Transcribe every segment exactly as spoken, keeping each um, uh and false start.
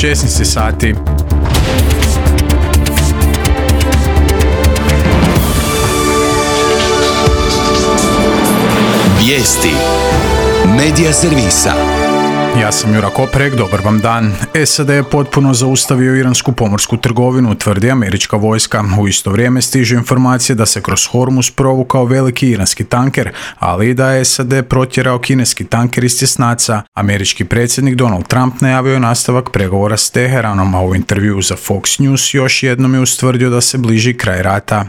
šesnaest sati. Vijesti medija servisa. Ja sam Jura Koprek, dobar vam dan. S A D je potpuno zaustavio iransku pomorsku trgovinu, tvrdi američka vojska. U isto vrijeme stižu informacije da se kroz Hormuz provukao veliki iranski tanker, ali i da je S A D protjerao kineski tanker iz tjesnaca. Američki predsjednik Donald Trump najavio je nastavak pregovora s Teheranom, a u intervjuu za Fox News još jednom je ustvrdio da se bliži kraj rata.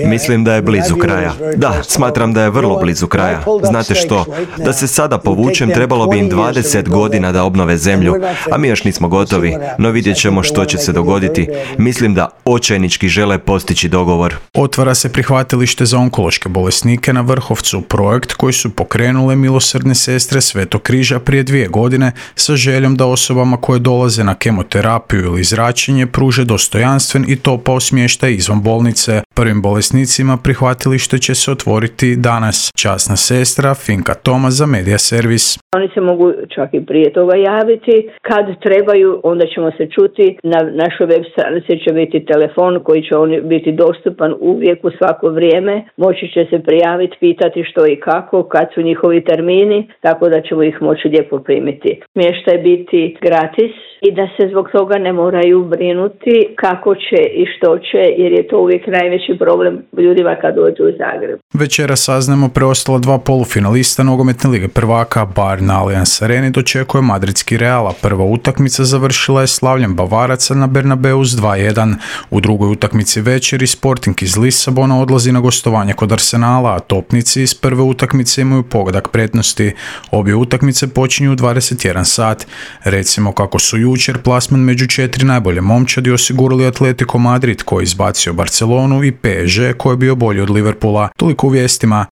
Mislim da je blizu kraja. Da, smatram da je vrlo blizu kraja. Znate što? Da se sada povučem, trebalo bi im dvadeset godina da obnove zemlju, a mi još nismo gotovi, no vidjet ćemo što će se dogoditi. Mislim da očajnički žele postići dogovor. Otvara se prihvatilište za onkološke bolesnike na Vrhovcu, projekt koji su pokrenule milosrdne sestre Svetog križa prije dvije godine sa željom da osobama koje dolaze na kemoterapiju ili zračenje pruže dostojanstven i topao smještaj izvan bolnice. Prvim bolesnicima prihvatilište će se otvoriti danas. Časna sestra Finka Toma za Medija servis. Oni se mogu čak i prije toga javiti. Kad trebaju, onda ćemo se čuti. Na našoj web stranici će biti telefon koji će on biti dostupan uvijek u svako vrijeme. Moći će se prijaviti, pitati što i kako, kad su njihovi termini, tako da ćemo ih moći lijepo primiti. Smještaj biti gratis i da se zbog toga ne moraju brinuti kako će i što će, jer je to uvijek najveći problem ljudima kad dođu u Zagreb. Večera saznamo preostala dva polufinalista nogometne lige prvaka. Bayern na Allianz Areni dočekuje madridski Real, a prva utakmica završila je slavljem Bavaraca na Bernabeu s dva jedan. U drugoj utakmici večeri Sporting iz Lisabona odlazi na gostovanje kod Arsenala, a topnici iz prve utakmice imaju pogodak prednosti. Obje utakmice počinju u dvadeset jedan sat. Recimo kako su jučer plasman među četiri najbolje momčadi osigurali Atletico Madrid koji je izbacio Barcelonu i P S G koji je bio bolji od Liverpoola. Toliko u vijestima.